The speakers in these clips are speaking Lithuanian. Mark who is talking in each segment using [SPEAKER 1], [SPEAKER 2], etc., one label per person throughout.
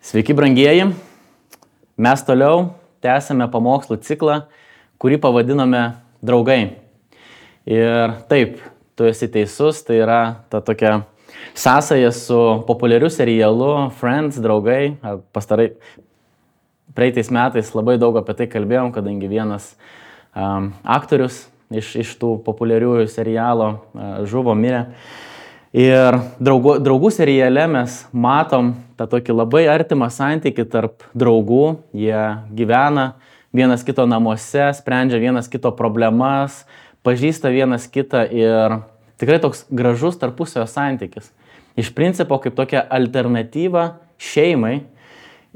[SPEAKER 1] Sveiki, brangieji. Mes toliau tęsime pamokslų ciklą, kurį pavadinome Draugai. Ir taip, tu esi teisus, tai yra ta tokia sąsaja su populiariu serialu Friends, Draugai. Praeitais metais labai daug apie tai kalbėjom, kadangi vienas aktorius iš tų populiariųjų serialo žuvo, mirė. Ir draugų seriale mes matom tą tokį labai artimą santykį tarp draugų. Jie gyvena vienas kito namuose, sprendžia vienas kito problemas, pažįsta vienas kitą ir tikrai toks gražus tarpusavio santykis. Iš principo kaip tokia alternatyva šeimai.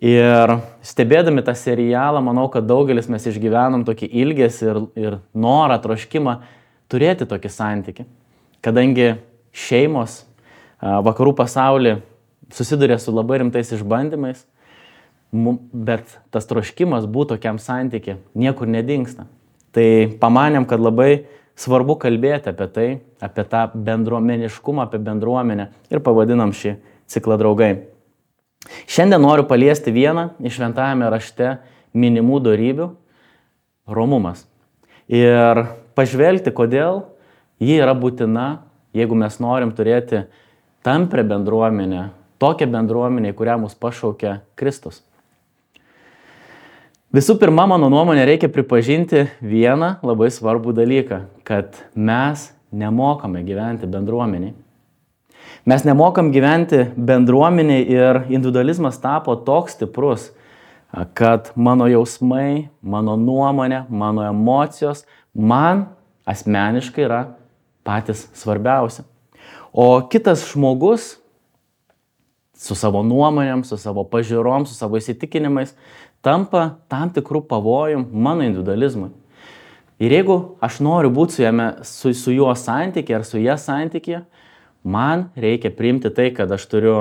[SPEAKER 1] Ir stebėdami tą serialą, manau, kad daugelis mes išgyvenom tokį ilgesį ir norą, troškimą turėti tokį santykį. Kadangi šeimos vakarų pasaulyje susiduria su labai rimtais išbandymais, bet tas troškimas būti tokiam santykiui niekur nedingsta. Tai pamanėm, kad labai svarbu kalbėti apie tai, apie tą bendruomeniškumą, apie bendruomenę ir pavadinam šį ciklą Draugai. Šiandien noriu paliesti vieną iš šventajame rašte minimų dorybių – romumas. Ir pažvelgti, kodėl ji yra būtina, jeigu mes norim turėti tamprią bendruomenę, tokią bendruomenę, į kurią mus pašaukia Kristus. Visų pirma, mano nuomonė, reikia pripažinti vieną labai svarbų dalyką, kad mes nemokame gyventi bendruomeniai. Mes nemokam gyventi bendruomeniai ir individualizmas tapo toks stiprus, kad mano jausmai, mano nuomonė, mano emocijos man asmeniškai yra patys svarbiausi. O kitas žmogus su savo nuomonėm, su savo pažiūrom, su savo įsitikinimais tampa tam tikrų pavojų mano individualizmui. Ir jeigu aš noriu būti su juo santykyje ar su ja santykyje, man reikia priimti tai, kad aš turiu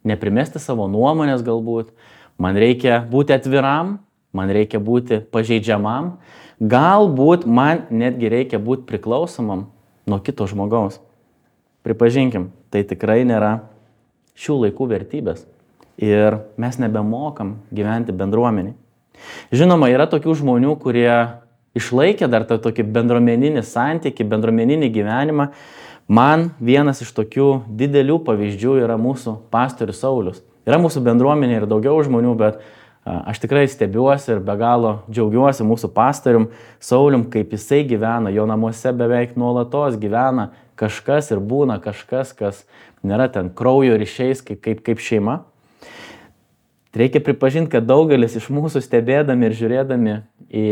[SPEAKER 1] neprimesti savo nuomonės galbūt, man reikia būti atviram, man reikia būti pažeidžiamam, galbūt man netgi reikia būti priklausomam nuo kito žmogaus. Pripažinkim, tai tikrai nėra šių laikų vertybės ir mes nebemokam gyventi bendruomeniai. Žinoma, yra tokių žmonių, kurie išlaikė dar tą tokį bendruomeninį santykį, bendruomeninį gyvenimą. Man vienas iš tokių didelių pavyzdžių yra mūsų pastorius Saulius. Yra mūsų bendruomenė ir daugiau žmonių, bet aš tikrai stebiuosi ir be galo džiaugiuosi mūsų pastorium Saulium, kaip jisai gyvena. Jo namuose beveik nuolatos gyvena kažkas ir būna kažkas, kas nėra ten kraujo ryšiais kaip šeima. Reikia pripažinti, kad daugelis iš mūsų stebėdami ir žiūrėdami į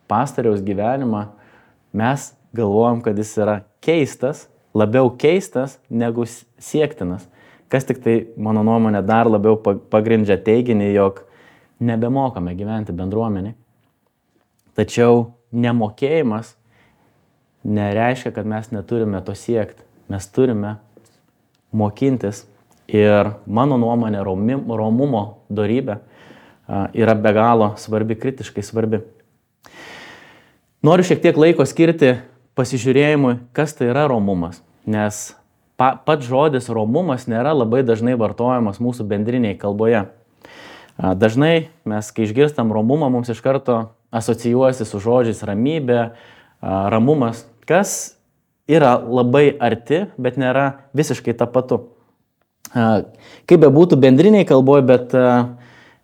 [SPEAKER 1] pastoriaus gyvenimą, mes galvojam, kad jis yra keistas, labiau keistas negu siektinas. Kas tik tai, mano nuomonė, dar labiau pagrindžia teiginį, jog nebemokame gyventi bendruomeniai. Tačiau nemokėjimas nereiškia, kad mes neturime to siekti. Mes turime mokintis ir mano nuomonė romumo dorybė yra be galo svarbi, kritiškai svarbi. Noriu šiek tiek laiko skirti pasižiūrėjimui, kas tai yra romumas, nes pats žodis romumas nėra labai dažnai vartojamas mūsų bendrinėje kalboje. Dažnai mes, kai išgirstam romumą, mums iš karto asocijuojasi su žodžiais ramybė, ramumas, kas yra labai arti, bet nėra visiškai tapatu. Kaip be būtų bendriniai kalboje, bet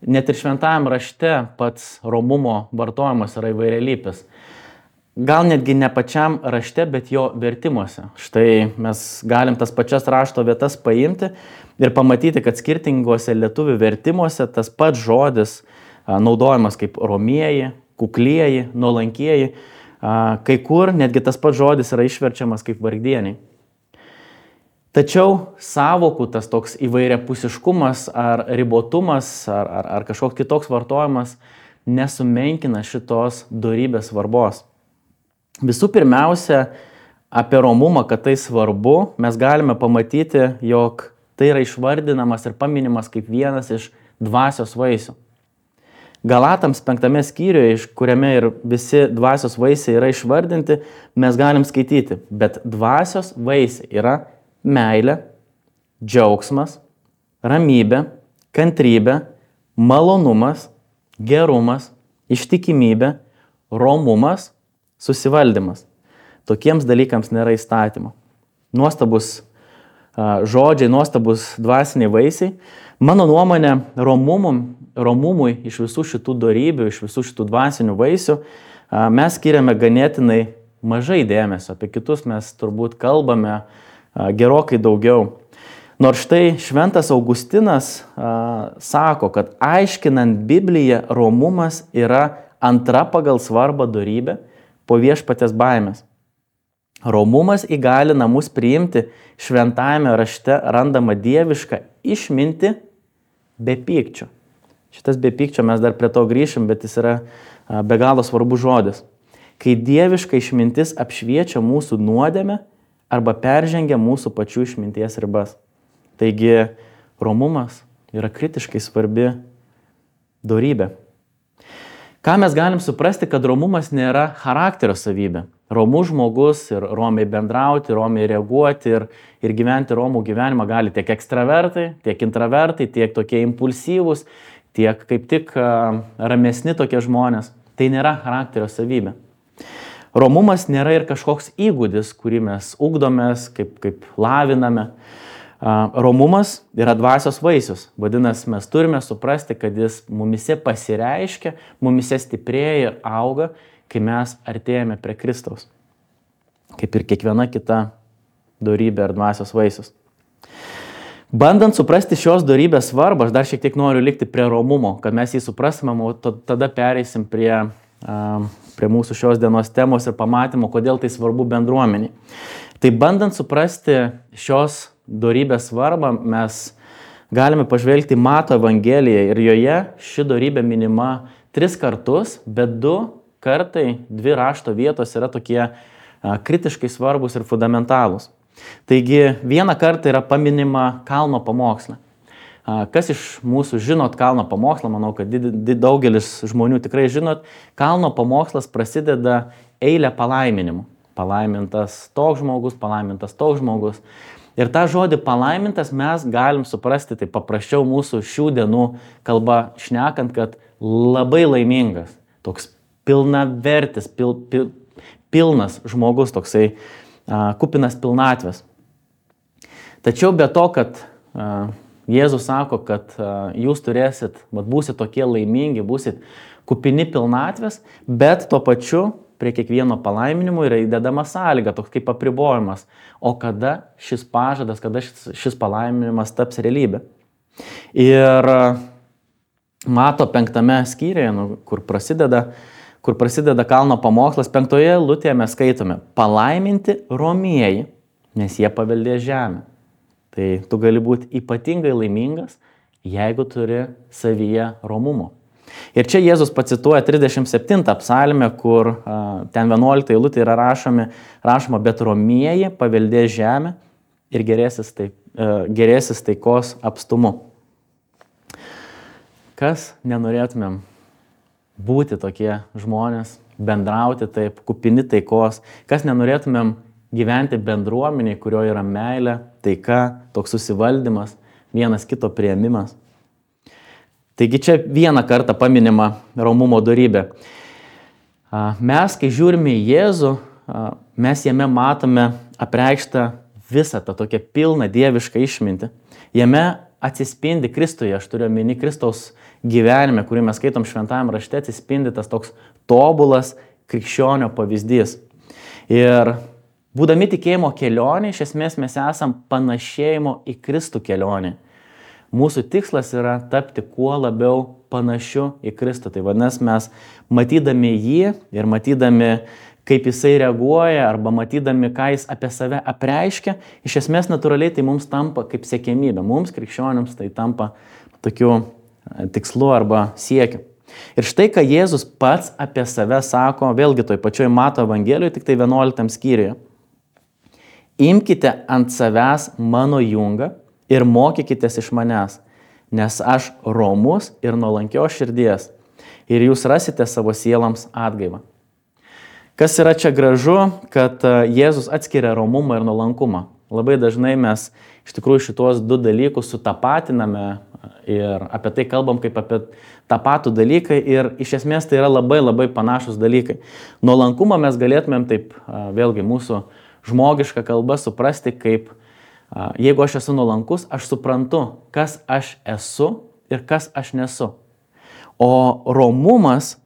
[SPEAKER 1] net ir šventajam rašte pats romumo vartojimas yra įvairialypis. Gal netgi ne pačiam rašte, bet jo vertimuose. Štai mes galim tas pačias rašto vietas paimti ir pamatyti, kad skirtinguose lietuvių vertimuose tas pats žodis naudojamas kaip romieji, kuklieji, nuolankieji. Kai kur netgi tas pats žodis yra išverčiamas kaip vargdieniai. Tačiau sąvokų tas toks įvairiapusiškumas ar ribotumas ar kažkoks kitoks vartojimas nesumenkina šitos dorybės svarbos. Visų pirmiausia, apie romumą, kad tai svarbu, mes galime pamatyti, jog tai yra išvardinamas ir paminimas kaip vienas iš dvasios vaisių. Galatams 5 skyriuje, kuriame ir visi dvasios vaisiai yra išvardinti, mes galim skaityti, bet dvasios vaisiai yra meilė, džiaugsmas, ramybė, kantrybė, malonumas, gerumas, ištikimybė, romumas, susivaldymas. Tokiems dalykams nėra įstatymo. Nuostabus žodžiai, nuostabus dvasiniai vaisiai. Mano nuomonė, romumui iš visų šitų dorybių, iš visų šitų dvasinių vaisių mes skiriame ganėtinai mažai dėmesio. Apie kitus mes turbūt kalbame gerokai daugiau. Nors štai šventas Augustinas sako, kad aiškinant Bibliją, romumas yra antra pagal svarbą dorybė po viešpaties baimės. Romumas įgalina mus priimti šventajame rašte randamą dievišką išmintį be pykčio. Šitas be pykčio mes dar prie to grįšim, bet jis yra be galo svarbus žodis. Kai dieviška išmintis apšviečia mūsų nuodėmę arba peržengia mūsų pačių išminties ribas. Taigi, romumas yra kritiškai svarbi dorybė. Ką mes galim suprasti, kad romumas nėra charakterio savybė. Romus žmogus ir romiai bendrauti, romiai reaguoti ir gyventi romų gyvenimą gali tiek ekstravertai, tiek intravertai, tiek tokie impulsyvūs, tiek kaip tik ramesni tokie žmonės. Tai nėra charakterio savybė. Romumas nėra ir kažkoks įgūdis, kurį mes ugdomės, kaip laviname. Romumas yra dvasios vaisius. Vadinasi, mes turime suprasti, kad jis mumise pasireiškia, mumise stiprėja ir auga, kai mes artėjame prie Kristaus. Kaip ir kiekviena kita dorybė ar dvasios vaisius. Bandant suprasti šios dorybės svarbą, aš dar šiek tiek noriu likti prie romumo, kad mes jį suprastume, o tada pereisim prie mūsų šios dienos temos ir pamatymo, kodėl tai svarbu bendruomeniai. Tai bandant suprasti šios dorybės svarbą, mes galime pažvelgti Mato Evangeliją ir joje ši dorybė minima 3 kartus, bet 2 kartai 2 rašto vietos yra tokie kritiškai svarbus ir fundamentalūs. Taigi 1 kartą yra paminima kalno pamoksle. Kas iš mūsų žinot kalno pamokslą, manau, kad daugelis žmonių tikrai žinot, kalno pamokslas prasideda eilę palaiminimų. Palaimintas toks žmogus. Ir tą žodį palaimintas mes galim suprasti, tai paprasčiau mūsų šių dienų kalba šnekant, kad labai laimingas, toks pilnavertis, pilnas žmogus, toksai kupinas pilnatvės. Tačiau be to, kad Jėzus sako, kad jūs būsit tokie laimingi, būsit kupini pilnatvės, bet tuo pačiu prie kiekvieno palaiminimo yra įdedama sąlyga, toks kaip apribojimas. O kada šis pažadas, kada šis palaiminimas taps realybė. Ir Mato 5 skyriuje, kur prasideda kalno pamokslas, 5 eilutėje mes skaitome: palaiminti romieji, nes jie paveldės žemę. Tai tu gali būti ypatingai laimingas, jeigu turi savyje romumo. Ir čia Jėzus pacituoja 37 psalmę, kur ten 11 eilutė yra rašoma, bet romieji paveldės žemę ir gerėsis taikos apstumu. Kas nenorėtumėm būti tokie žmonės, bendrauti taip, kupini taikos, kas nenorėtumėm gyventi bendruomeniai, kurioje yra meilė, taika, toks susivaldymas, vienas kito priėmimas. Taigi čia 1 kartą paminima romumo dorybė. Mes, kai žiūrime į Jėzų, mes jame matome apreikštą visą tą tokią pilną dievišką išmintį. Jame atsispindi Kristuje, aš turiu omeny Kristaus gyvenime, kurį mes skaitom šventajame rašte, atsispindi tas toks tobulas krikščionio pavyzdys. Ir būdami tikėjimo kelionė, iš esmės mes esam panašėjimo į Kristų kelionė. Mūsų tikslas yra tapti kuo labiau panašiu į Kristų. Tai vadinasi, mes matydami jį ir matydami, kaip jisai reaguoja, arba matydami, ką jis apie save apreiškia, iš esmės natūraliai tai mums tampa kaip siekiamybė. Mums, krikščionims, tai tampa tokiu tikslu arba siekiu. Ir štai, ką Jėzus pats apie save sako, vėlgi toj pačioj Mato Evangelijoje, tik tai 11 skyriuje. Imkite ant savęs mano jungą ir mokykitės iš manęs, nes aš romus ir nuolankios širdies, ir jūs rasite savo sielams atgaivą. Kas yra čia gražu, kad Jėzus atskiria romumą ir nuolankumą. Labai dažnai mes iš tikrųjų šitos 2 dalykus sutapatiname ir apie tai kalbam kaip apie tą patų dalyką ir iš esmės tai yra labai labai panašus dalykai. Nuolankumą mes galėtumėm taip vėlgi mūsų žmogišką kalbą suprasti kaip jeigu aš esu nuolankus, aš suprantu, kas aš esu ir kas aš nesu. O romumas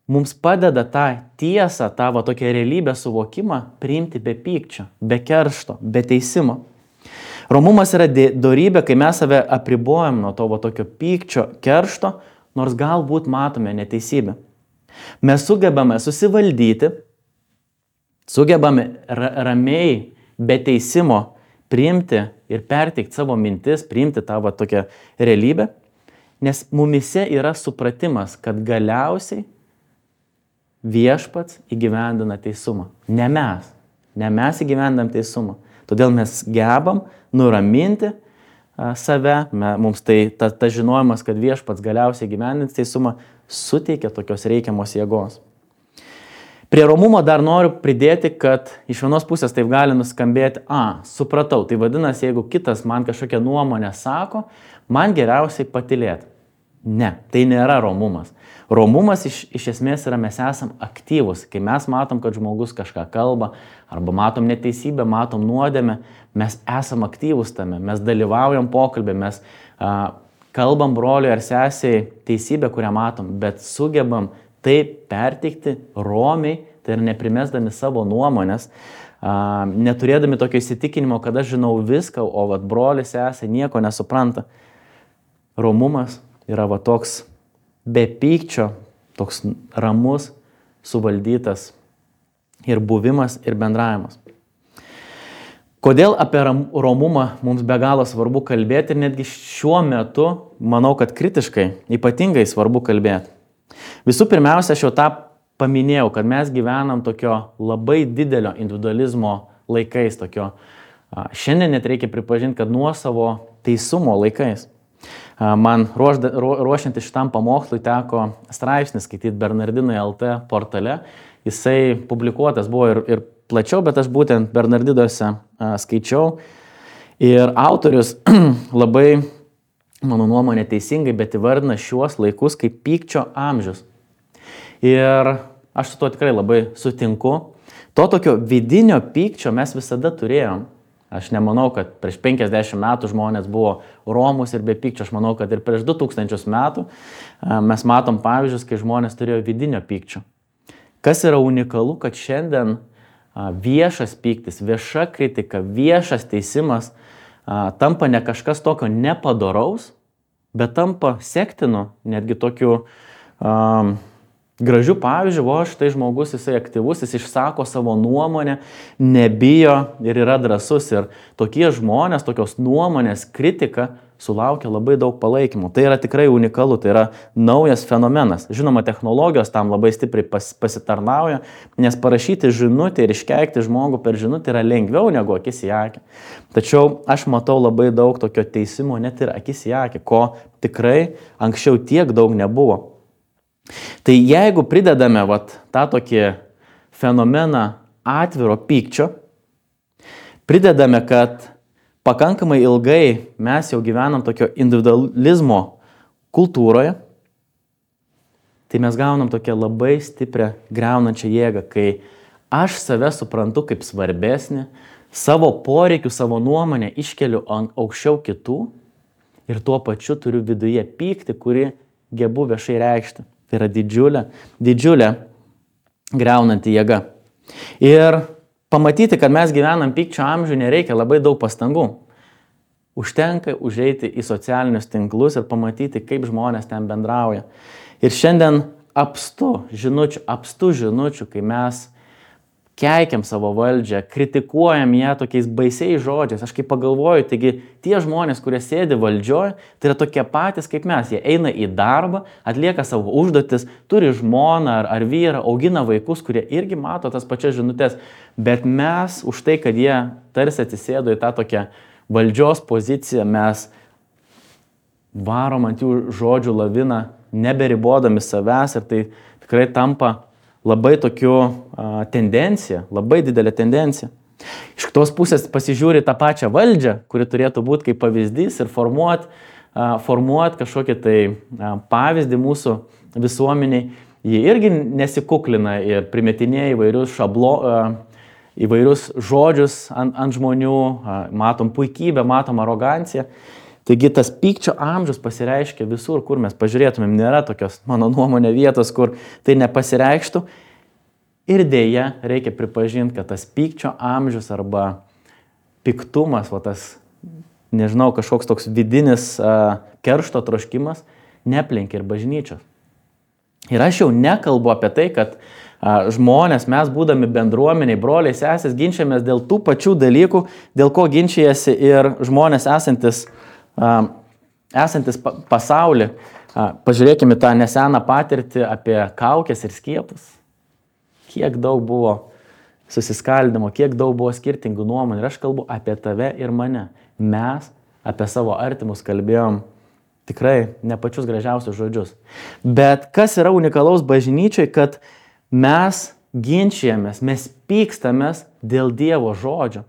[SPEAKER 1] mums padeda tą tiesą, tą tokią realybę suvokimą priimti be pykčio, be keršto, be teisimo. Romumas yra dorybė, kai mes save apribojam nuo to tokio pykčio, keršto, nors galbūt matome neteisybę. Mes sugebame susivaldyti, sugebame ramiai, be teisimo priimti ir perteikti savo mintis, priimti tą tokią realybę, nes mumise yra supratimas, kad galiausiai viešpats įgyvendina teisumą. Ne mes įgyvendam teisumą. Todėl mes gebam nuraminti save, mums tai ta žinojimas, kad viešpats galiausiai įgyvendins teisumą, suteikia tokios reikiamos jėgos. Prie romumo dar noriu pridėti, kad iš vienos pusės taip gali nuskambėti, supratau, tai vadinasi, jeigu kitas man kažkokią nuomonę sako, man geriausiai patylėti. Ne, tai nėra romumas. Romumas iš esmės yra mes esam aktyvus. Kai mes matom, kad žmogus kažką kalba, arba matom neteisybę, matom nuodėmę, mes esam aktyvus tame, mes dalyvaujam pokalbį, mes kalbam broliui ar sesiai teisybę, kurią matom, bet sugebam tai perteikti romiai, tai yra neprimesdami savo nuomonės, neturėdami tokio įsitikinimo, kad aš žinau viską, o brolis sesė nieko nesupranta. Romumas yra toks be pykčio, toks ramus, suvaldytas ir buvimas, ir bendravimas. Kodėl apie romumą mums be galo svarbu kalbėti ir netgi šiuo metu, manau, kad kritiškai, ypatingai svarbu kalbėti. Visų pirmiausia, aš jau tą paminėjau, kad mes gyvenam tokio labai didelio individualizmo laikais, šiandien net reikia pripažinti, kad nuosavo teisumo laikais. Man ruošiantis šitam pamokslui teko straipsnį skaityti Bernardinai LT portale. Jisai publikuotas buvo ir plačiau, bet aš būtent Bernardinuose skaičiau. Ir autorius labai, mano nuomonė, teisingai, bet įvardina šiuos laikus kaip pykčio amžius. Ir aš su tuo tikrai labai sutinku. To tokio vidinio pykčio mes visada turėjom. Aš nemanau, kad prieš 50 metų žmonės buvo romus ir be pykčio. Aš manau, kad ir prieš 2000 metų mes matom pavyzdžius, kai žmonės turėjo vidinio pykčio. Kas yra unikalu, kad šiandien viešas pyktis, vieša kritika, viešas teisimas tampa ne kažkas tokio nepadoraus, bet tampa sektinu, netgi tokiu gražių pavyzdžių, štai žmogus, jisai aktyvus, jis išsako savo nuomonę, nebijo ir yra drąsus. Ir tokie žmonės, tokios nuomonės kritika sulaukia labai daug palaikymų. Tai yra tikrai unikalu, tai yra naujas fenomenas. Žinoma, technologijos tam labai stipriai pasitarnauja, nes parašyti žinutę ir iškeikti žmogų per žinutę yra lengviau negu akis į akį. Tačiau aš matau labai daug tokio teisimo net ir akis į akį, ko tikrai anksčiau tiek daug nebuvo. Tai jeigu pridedame tą tokį fenomeną atviro pykčio, pridedame, kad pakankamai ilgai mes jau gyvenam tokio individualizmo kultūroje, tai mes gaunam tokią labai stiprią griaunančią jėgą, kai aš save suprantu kaip svarbesnį, savo poreikių, savo nuomonę iškeliu aukščiau kitų ir tuo pačiu turiu viduje pyktį, kurį gebu viešai reikšti. Tai yra didžiulė griaunanti jėga. Ir pamatyti, kad mes gyvenam pykčio amžių, nereikia labai daug pastangų. Užtenka užeiti į socialinius tinklus ir pamatyti, kaip žmonės ten bendrauja. Ir šiandien apstu žinučių, kai mes keikiam savo valdžią, kritikuojam ją tokiais baisiais žodžiais. Aš kaip pagalvoju, taigi tie žmonės, kurie sėdi valdžioje, tai yra tokie patys kaip mes. Jie eina į darbą, atlieka savo užduotis, turi žmoną ar vyrą, augina vaikus, kurie irgi mato tas pačias žinutės. Bet mes už tai, kad jie tarsi atsisėdo į tą tokią valdžios poziciją, mes varom ant jų žodžių laviną, neberibodami savęs ir tai tikrai tampa labai tokiu tendencija, labai didelė tendencija. Iš kitos pusės pasižiūri tą pačią valdžią, kuri turėtų būti kaip pavyzdys ir formuoti formuoti kažkokį tai pavyzdį mūsų visuomeniai, jie irgi nesikuklina ir primetinėja įvairius žodžius ant žmonių, matom puikybę, matom aroganciją. Taigi tas pykčio amžius pasireiškia visur, kur mes pažiūrėtumėm, nėra tokios, mano nuomonė, vietos, kur tai nepasireikštų. Ir dėja, reikia pripažinti, kad tas pykčio amžius arba piktumas, nežinau, kažkoks toks vidinis keršto troškimas, neplenkia ir bažnyčios. Ir aš jau nekalbu apie tai, kad žmonės, mes būdami bendruomeniai, broliai, sesės, ginčiamės dėl tų pačių dalykų, dėl ko ginčijasi ir žmonės esantis pasaulį. Pažiūrėkime tą neseną patirtį apie kaukes ir skiepus. Kiek daug buvo susiskaldimo, kiek daug buvo skirtingų nuomonių. Ir aš kalbu apie tave ir mane. Mes apie savo artimus kalbėjom tikrai ne pačius gražiausius žodžius. Bet kas yra unikalaus bažnyčiai, kad mes ginčijamės, mes pykstamės dėl Dievo žodžio,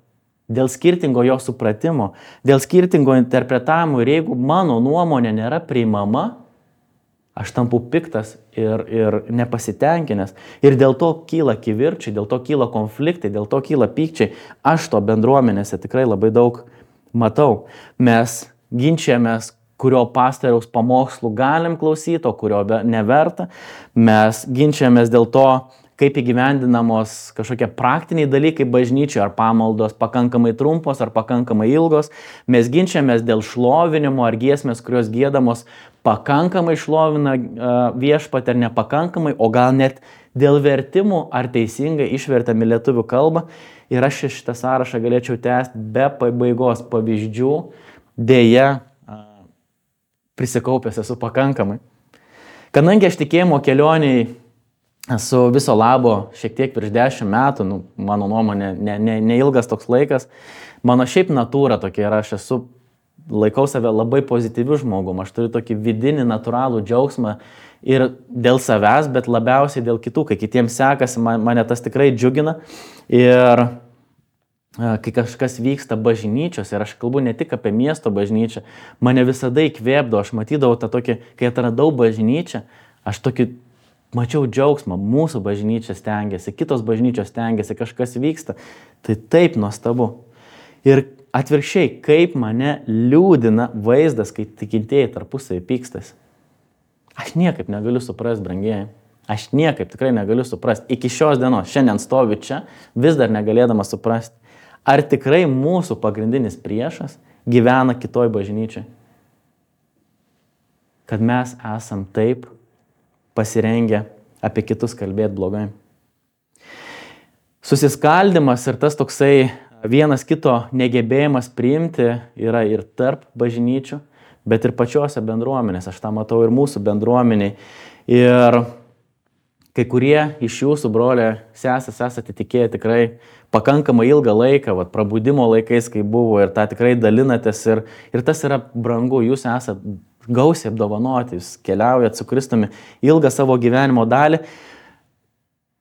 [SPEAKER 1] dėl skirtingo jo supratimo, dėl skirtingo interpretavimo. Ir jeigu mano nuomonė nėra priimama, aš tampu piktas ir nepasitenkinęs. Ir dėl to kyla kivirčiai, dėl to kyla konfliktai, dėl to kyla pykčiai. Aš to bendruomenėse tikrai labai daug matau. Mes ginčijamės, kurio pastoriaus pamokslų galim klausyti, o kurio neverta. Mes ginčiamės dėl to, kaip įgyvendinamos kažkokie praktiniai dalykai bažnyčioje, ar pamaldos pakankamai trumpos, ar pakankamai ilgos. Mes ginčiamės dėl šlovinimo, ar giesmės, kurios giedamos pakankamai šlovina viešpatį ar nepakankamai, o gal net dėl vertimų, ar teisingai išvertami lietuvių kalbą. Ir aš šitą sąrašą galėčiau tęsti be pabaigos pavyzdžių. Deja, prisikaupęs esu pakankamai. Kadangi aš tikėjimo kelioniai esu viso labo šiek tiek virš 10 metų, mano nuomonė, neilgas toks laikas, mano šiaip natūra tokia yra, aš laikau save labai pozityviu žmogum, aš turiu tokį vidinį natūralų džiaugsmą ir dėl savęs, bet labiausiai dėl kitų, kai kitiems sekasi, mane tas tikrai džiugina. Ir kai kažkas vyksta bažnyčios, ir aš kalbu ne tik apie miesto bažnyčią, mane visada įkvėpdavo, aš matydavau tą tokį, kai atradau bažnyčią, aš tokį mačiau džiaugsmą, mūsų bažnyčia stengiasi, kitos bažnyčios stengiasi, kažkas vyksta, tai taip nuostabu. Ir atvirkščiai, kaip mane liūdina vaizdas, kai tikintieji tarpusavy pykstasi. Aš niekaip negaliu suprasti, brangieji. Aš niekaip tikrai negaliu suprasti. Iki šios dienos, šiandien stoviu čia, vis dar negalėdamas suprasti. Ar tikrai mūsų pagrindinis priešas gyvena kitoj bažnyčiai? Kad mes esam taip pasirengę apie kitus kalbėti blogai. Susiskaldimas ir tas toksai vienas kito negebėjimas priimti yra ir tarp bažnyčių, bet ir pačiose bendruomenės. Aš tą matau ir mūsų bendruomeniai. Ir kai kurie iš jūsų, broliai, sesės, esate tikėję tikrai pakankamai ilgą laiką, prabudimo laikais, kai buvo, ir tą tikrai dalinatės, ir tas yra brangu, jūs esate gausiai apdovanoti, jūs keliaujat su Kristumi ilgą savo gyvenimo dalį.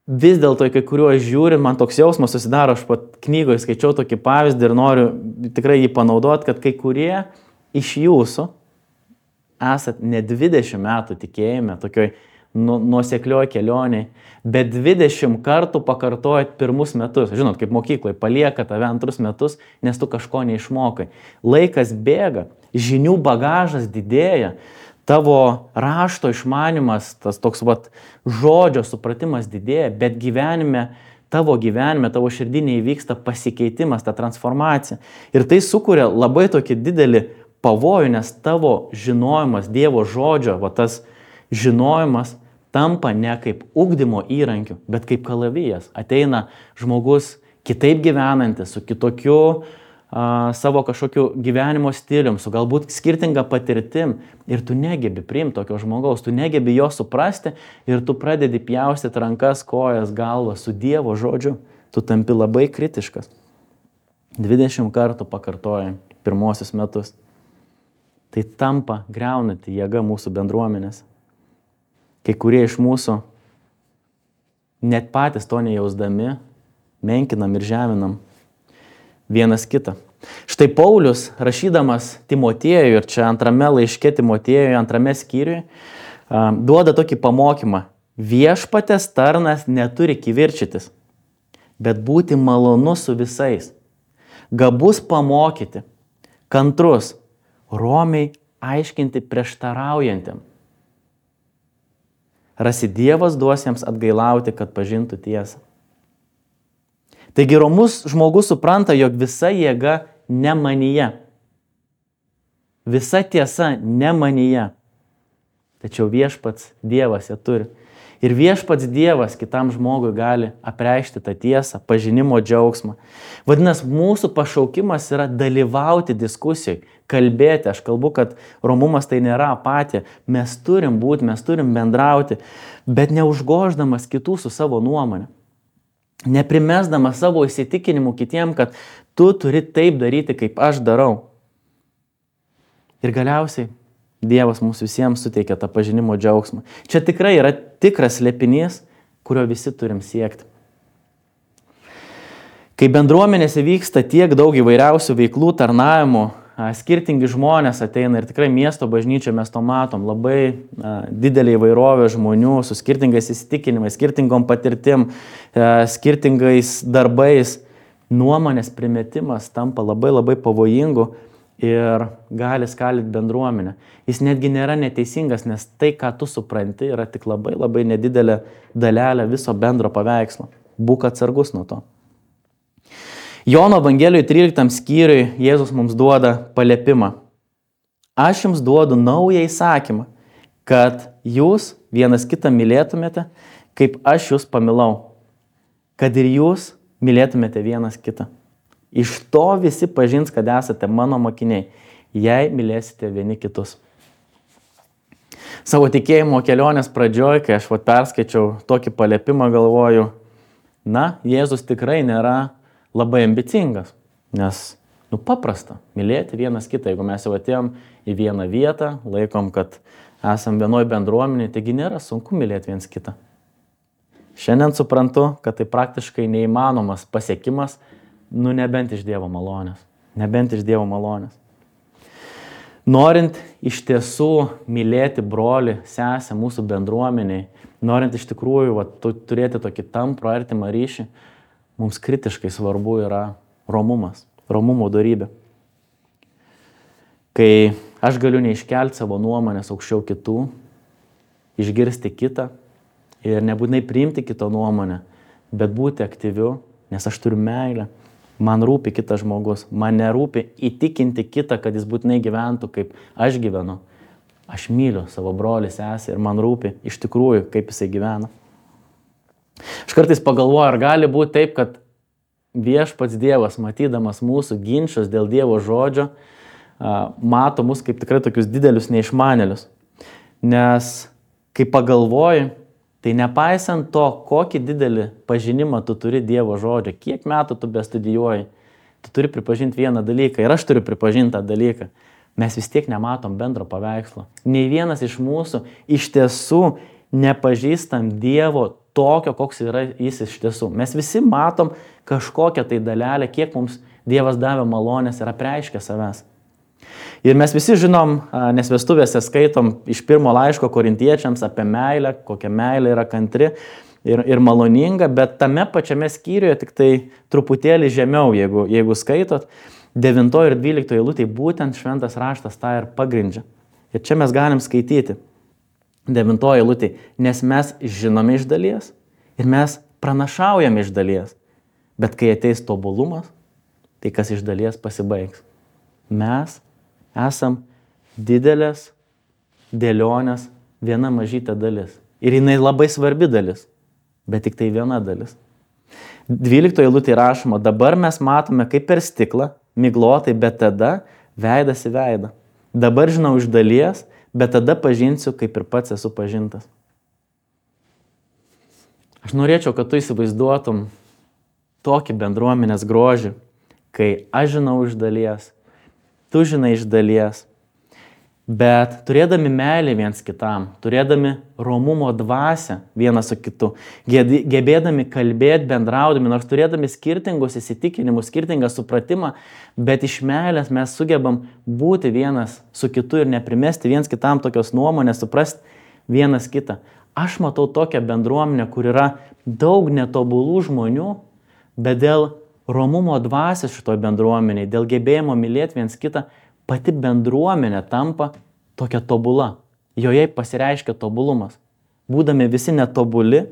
[SPEAKER 1] Vis dėlto, kai kuriuos žiūrint, man toks jausmas susidaro, aš pat knygoje skaičiau tokį pavyzdį ir noriu tikrai jį panaudoti, kad kai kurie iš jūsų esat ne 20 metų tikėjime, tokioj nuoseklioj kelioniai, bet 20 kartų pakartojat pirmus metus. Žinot, kaip mokykloje palieka tave antrus metus, nes tu kažko neišmokai. Laikas bėga, žinių bagažas didėja, tavo rašto išmanimas, tas toks žodžio supratimas didėja, bet tavo širdinė įvyksta pasikeitimas, ta transformacija. Ir tai sukuria labai tokį didelį pavojų, nes tavo žinojimas, Dievo žodžio, tas žinojimas tampa ne kaip ugdymo įrankiu, bet kaip kalavijas. Ateina žmogus kitaip gyvenantis, su kitokiu savo kažkokiu gyvenimo stilium, su galbūt skirtinga patirtim, ir tu negebi priimti tokio žmogaus, tu negebi jo suprasti ir tu pradedi pjaustyti rankas, kojas, galvą su Dievo žodžiu. Tu tampi labai kritiškas. 20 kartų pakartoji pirmosius metus. Tai tampa griaunanti jėga mūsų bendruomenės. Kai kurie iš mūsų net patys to nejausdami, menkinam ir žeminam vienas kitą. Štai Paulius, rašydamas Timotiejui, ir čia antrame laiške Timotiejui, antrame skyriui, duoda tokį pamokymą. Viešpatės tarnas neturi kivirčytis, bet būti malonus su visais, gabus pamokyti, kantrus, romiai aiškinti prieštaraujantiem. Rasi Dievas duos jiems atgailauti, kad pažintų tiesą. Taigi romus žmogus supranta, jog visa jėga ne manyje. Visa tiesa ne manyje. Tačiau viešpats Dievas ją turi. Ir viešpats Dievas kitam žmogui gali apreikšti tą tiesą, pažinimo džiaugsmą. Vadinasi, mūsų pašaukimas yra dalyvauti diskusijai, kalbėti. Aš kalbu, kad romumas tai nėra apatija. Mes turim būti, mes turim bendrauti, bet neužgoždamas kitų su savo nuomonė. Neprimesdamas savo įsitikinimų kitiem, kad tu turi taip daryti, kaip aš darau. Ir galiausiai Dievas mums visiems suteikia tą pažinimo džiaugsmą. Čia tikrai yra tikras slėpinys, kurio visi turim siekti. Kai bendruomenėse vyksta tiek daug įvairiausių veiklų, tarnavimų, skirtingi žmonės ateina ir tikrai miesto bažnyčia mes to matom, labai didelė įvairovė žmonių su skirtingais įsitikinimais, skirtingom patirtim, skirtingais darbais. Nuomonės primetimas tampa labai pavojingu ir gali skalyti bendruomenę. Jis netgi nėra neteisingas, nes tai, ką tu supranti, yra tik labai nedidelė dalelė viso bendro paveikslo. Būk atsargus nuo to. Jono Evangelijoje 13 skyriui Jėzus mums duoda paliepimą. Aš jums duodu naują įsakymą, kad jūs vienas kitą mylėtumėte, kaip aš jūs pamilau. Kad ir jūs mylėtumėte vienas kitą. Iš to visi pažins, kad esate mano mokiniai, jei mylėsite vieni kitus. Savo tikėjimo kelionės pradžioj, kai aš perskaičiau tokį paliepimą, galvoju, Jėzus tikrai nėra labai ambicingas, nes, paprasta mylėti vienas kitą. Jeigu mes jau atėjom į vieną vietą, laikom, kad esam vienoj bendruomenėje, taigi nėra sunku mylėti viens kitą. Šiandien suprantu, kad tai praktiškai neįmanomas pasiekimas, nebent iš Dievo malonės. Nebent iš Dievo malonės. Norint iš tiesų mylėti brolį, sesę mūsų bendruomeniai, norint iš tikrųjų turėti tokį tamprų artimą ryšį, mums kritiškai svarbu yra romumas, romumo dorybė. Kai aš galiu neiškelti savo nuomonės aukščiau kitų, išgirsti kitą ir nebūtinai priimti kito nuomonę, bet būti aktyviu, nes aš turiu meilę. Man rūpi kitas žmogus, man nerūpi įtikinti kitą, kad jis būtinai gyventų, kaip aš gyvenu. Aš myliu savo brolį, sesę ir man rūpi iš tikrųjų, kaip jisai gyvena. Aš kartais pagalvoju, ar gali būti taip, kad viešpats Dievas, matydamas mūsų ginčus dėl Dievo žodžio, mato mus kaip tikrai tokius didelius neišmanėlius. Nes kai pagalvoju, tai nepaisant to, kokį didelį pažinimą tu turi Dievo žodžio, kiek metų tu bestudijuoji, tu turi pripažinti vieną dalyką ir aš turiu pripažinti tą dalyką. Mes vis tiek nematom bendro paveikslo. Nei vienas iš mūsų iš tiesų nepažįstam Dievo tokio, koks yra jis iš tiesų. Mes visi matom kažkokią tai dalelę, kiek mums Dievas davė malonės ir apreiškė savęs. Ir mes visi žinom, nes vestuvėse skaitom iš pirmo laiško Korintiečiams apie meilę, kokia meilė yra kantri ir maloninga, bet tame pačiame skyriuje tik tai truputėlį žemiau, jeigu skaitot, 9 ir 12 eilutėje būtent šventas raštas tą ir pagrindžia. Ir čia mes galim skaityti 9 eilutėje, nes mes žinome iš dalies ir mes pranašaujame iš dalies, bet kai ateis tobulumas, tai kas iš dalies pasibaigs. Mes esam didelės dėlionės viena mažytė dalis. Ir jinai labai svarbi dalis, bet tik tai viena dalis. 12 eilutėje rašoma, dabar mes matome kaip per stiklą, miglotai, bet tada veidas į veidą. Dabar žinau iš dalies, bet tada pažinsiu, kaip ir pats esu pažintas. Aš norėčiau, kad tu įsivaizduotum tokį bendruomenės grožį, kai aš žinau iš dalies, tu žinai iš dalies, Bet turėdami meilę viens kitam, turėdami romumo dvasią vienas su kitu, gebėdami kalbėti, bendraudami, nors turėdami skirtingus įsitikinimus, skirtingą supratimą, bet iš meilės mes sugebam būti vienas su kitu ir neprimesti viens kitam tokios nuomonės, suprasti vienas kitą. Aš matau tokią bendruomenę, kur yra daug netobulų žmonių, bet dėl romumo dvasios šitoj bendruomeniai, dėl gebėjimo mylėti viens kitą, pati bendruomenė tampa tokia tobula. Joje pasireiškia tobulumas. Būdami visi netobuli,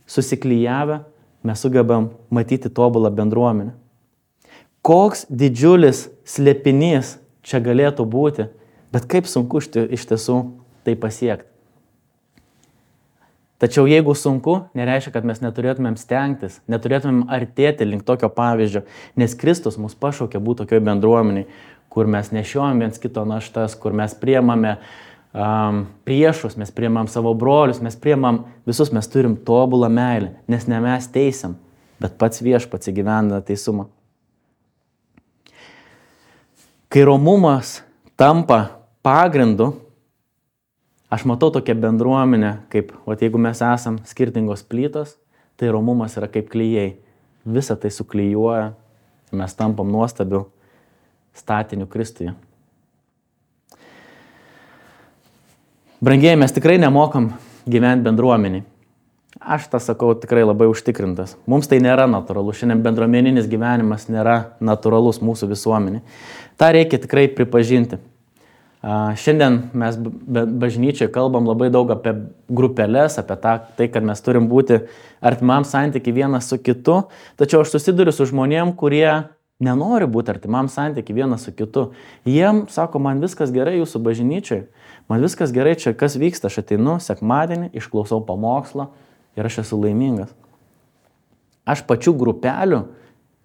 [SPEAKER 1] susiklijavę, mes sugebam matyti tobulą bendruomenę. Koks didžiulis slėpinys čia galėtų būti, bet kaip sunku iš tiesų tai pasiekti. Tačiau jeigu sunku, nereiškia, kad mes neturėtumėm stengtis, neturėtumėm artėti link tokio pavyzdžio, nes Kristus mus pašaukė būti tokioj bendruomeniai, kur mes nešiojam viens kito naštas, kur mes priemame priešus, mes priemam savo brolius, mes priemam visus, mes turim tobulą meilę, nes ne mes teisiam, bet pats Viešpats įgyvendina teisumą. Kai romumas tampa pagrindu, aš matau tokią bendruomenę, kaip, jeigu mes esam skirtingos plytos, tai romumas yra kaip klijai. Visą tai suklijuoja, mes tampam nuostabiu statiniu Kristuje. Brangieji, mes tikrai nemokam gyventi bendruomeniai. Aš tą sakau tikrai labai užtikrintas. Mums tai nėra natūralu. Šiandien bendruomeninis gyvenimas nėra natūralus mūsų visuomenė. Ta reikia tikrai pripažinti. Šiandien mes bažnyčioje kalbam labai daug apie grupelės, apie tai, kad mes turim būti artimam santykiai vienas su kitu. Tačiau aš susiduriu su žmonėm, kurie nenori būti artimam santykiai vienas su kitu. Jiem sako, man viskas gerai jūsų bažnyčioje, man viskas gerai čia, kas vyksta, aš ateinu sekmadienį, išklausau pamokslą ir aš esu laimingas. Aš pačių grupelių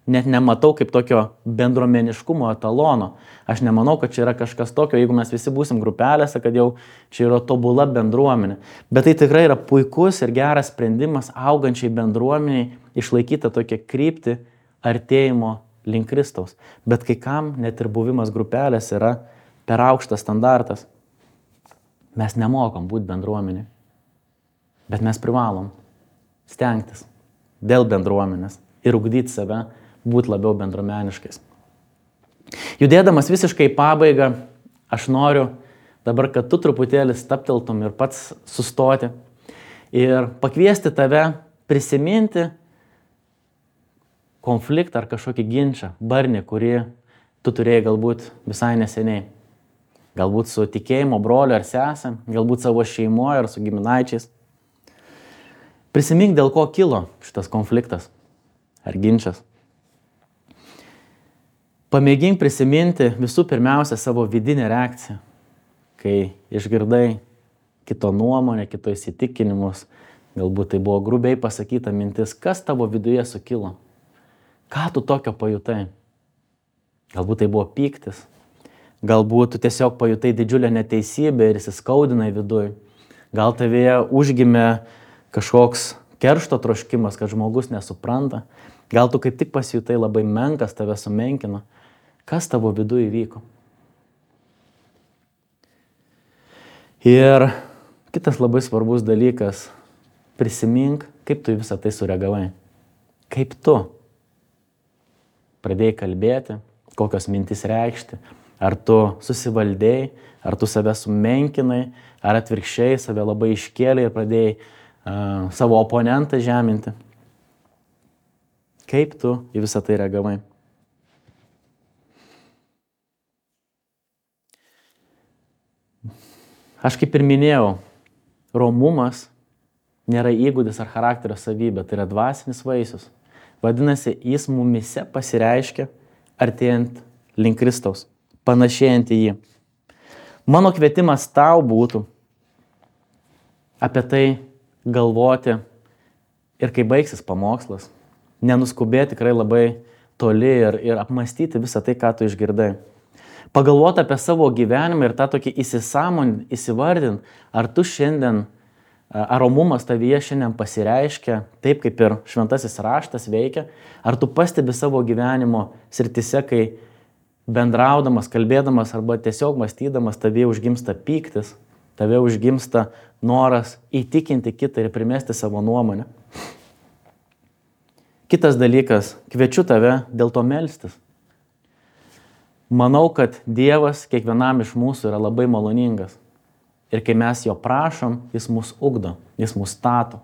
[SPEAKER 1] net nematau kaip tokio bendruomeniškumo etalono. Aš nemanau, kad čia yra kažkas tokio, jeigu mes visi būsim grupelėse, kad jau čia yra tobula bendruomenė. Bet tai tikrai yra puikus ir geras sprendimas augančiai bendruomeniai išlaikyti tokią kryptį artėjimo link Kristaus. Bet kai kam net ir buvimas grupelės yra per aukštas standartas. Mes nemokam būti bendruomenė, bet mes privalom stengtis dėl bendruomenės ir ugdyti save, būti labiau bendruomeniškais. Judėdamas visiškai į pabaigą, aš noriu dabar, kad tu truputėlį stabteltum ir pats sustoti ir pakviesti tave prisiminti konfliktą ar kažkokį ginčą, barnį, kurį tu turėjai galbūt visai neseniai. Galbūt su tikėjimo broliu ar sesė, galbūt savo šeimoje ar su giminaičiais. Prisimink, dėl ko kilo šitas konfliktas ar ginčas. Pamėgink prisiminti visų pirmiausia savo vidinę reakciją, kai išgirdai kito nuomonę, kito įsitikinimus, galbūt tai buvo grubiai pasakyta mintis, kas tavo viduje sukilo. Ką tu tokio pajutai? Galbūt tai buvo pyktis, galbūt tu tiesiog pajutai didžiulę neteisybę ir įsiskaudinai viduj. Gal tavėje užgimė kažkoks keršto troškimas, kad žmogus nesupranta. Gal tu kaip tik pasijutai labai menkas, tave sumenkino. Kas tavo viduj įvyko? Ir kitas labai svarbus dalykas, prisimink, kaip tu į visą tai sureagavai. Kaip tu pradėjai kalbėti, kokios mintis reikšti, ar tu susivaldėjai, ar tu save sumenkinai, ar atvirkščiai save labai iškėlei ir pradėjai savo oponentą žeminti. Kaip tu į visą tai reagavai? Aš kaip ir minėjau, romumas nėra įgūdis ar charakterio savybė, tai yra dvasinis vaisius. Vadinasi, jis mumise pasireiškia artėjant link Kristaus, panašėjant į jį. Mano kvietimas tau būtų apie tai galvoti ir kai baigsis pamokslas, nenuskubėti tikrai labai toli ir apmastyti visą tai, ką tu išgirdai. Pagalvoti apie savo gyvenimą ir tą tokį įsivardint, ar tu šiandien, ar romumas tavyje šiandien pasireiškia taip, kaip ir šventasis raštas veikia, ar tu pastebi savo gyvenimo srityse, kai bendraudamas, kalbėdamas arba tiesiog mąstydamas, tavie užgimsta pyktis, tavie užgimsta noras įtikinti kitą ir primesti savo nuomonę. Kitas dalykas, kviečiu tave dėl to melstis. Manau, kad Dievas kiekvienam iš mūsų yra labai maloningas. Ir kai mes jo prašom, jis mus ugdo, jis mus stato.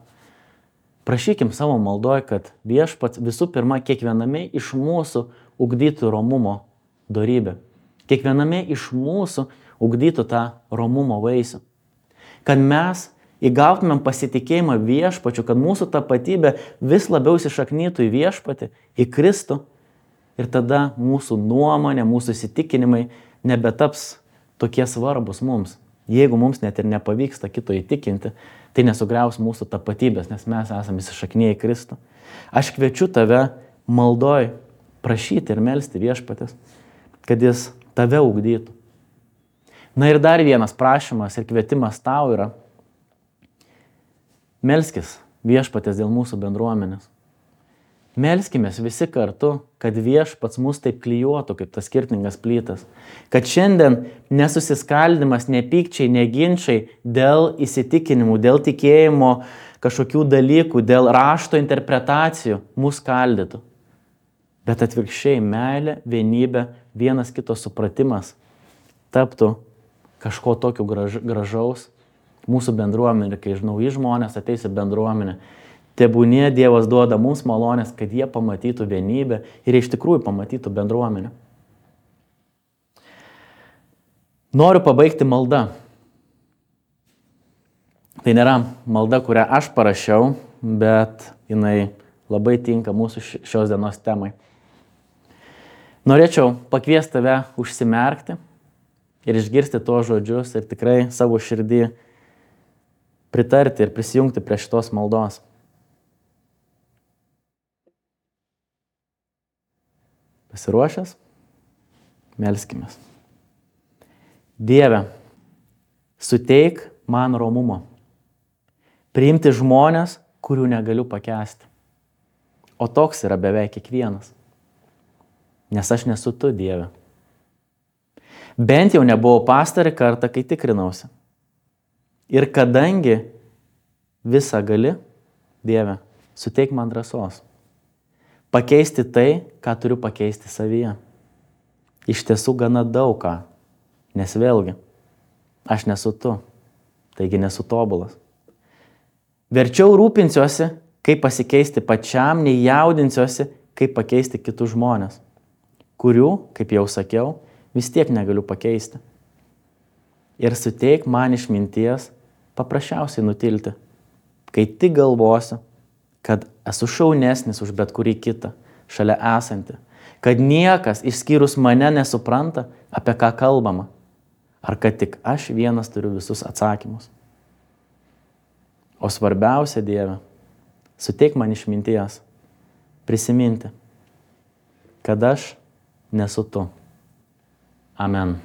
[SPEAKER 1] Prašykim savo maldoj, kad Viešpats visų pirma kiekviename iš mūsų ugdytų romumo dorybę. Kiekviename iš mūsų ugdytų tą romumo vaisių. Kad mes įgautumėm pasitikėjimą Viešpačiu, kad mūsų tapatybė vis labiau įsišaknytų į Viešpatį, į Kristų. Ir tada mūsų nuomonė, mūsų įsitikinimai nebetaps tokie svarbus mums. Jeigu mums net ir nepavyksta kito įtikinti, tai nesugriaus mūsų tapatybės, nes mes esame įsišaknyję į Kristų. Aš kviečiu tave maldoj prašyti ir melsti Viešpatės, kad jis tave ugdytų. Na ir dar vienas prašymas ir kvietimas tau yra: melskis Viešpatės dėl mūsų bendruomenės. Melskimės visi kartu, kad Viešpats mus taip klijuotų kaip tas skirtingas plytas. Kad šiandien nesusiskaldimas, nepykčiai, neginčiai dėl įsitikinimų, dėl tikėjimo kažkokių dalykų, dėl rašto interpretacijų mus skaldytų. Bet atvirkščiai meilė, vienybė, vienas kito supratimas taptų kažko tokio gražaus mūsų bendruomenė, kai nauji žmonės ateis į bendruomenę. Tebūnie Dievas duoda mums malonės, kad jie pamatytų vienybę ir iš tikrųjų pamatytų bendruomenę. Noriu pabaigti maldą. Tai nėra malda, kurią aš parašiau, bet jinai labai tinka mūsų šios dienos temai. Norėčiau pakviesti tave užsimerkti ir išgirsti tuos žodžius ir tikrai savo širdį pritarti ir prisijungti prie šitos maldos. Pasiruošęs? Melskimės. Dieve, suteik man romumo. Priimti žmonės, kurių negaliu pakęsti. O toks yra beveik kiekvienas. Nes aš nesu tu, Dieve. Bent jau nebuvau pastarį kartą, kai tikrinausi. Ir kadangi visą gali, Dieve, suteik man drąsos. Pakeisti tai, ką turiu pakeisti savyje. Iš tiesų gana daug ką, nes vėlgi, aš nesu tu, taigi nesu tobulas. Verčiau rūpinsiuosi, kaip pasikeisti pačiam, nei jaudinsiuosi, kaip pakeisti kitus žmonės, kurių, kaip jau sakiau, vis tiek negaliu pakeisti. Ir suteik man išminties paprasčiausiai nutilti, kai tik galvosiu, kad esu šaunesnis už bet kurį kitą, šalia esantį, kad niekas išskyrus mane nesupranta, apie ką kalbama, ar kad tik aš vienas turiu visus atsakymus. O svarbiausia, Dieve, suteik man išminties, prisiminti, kad aš nesu tu. Amen.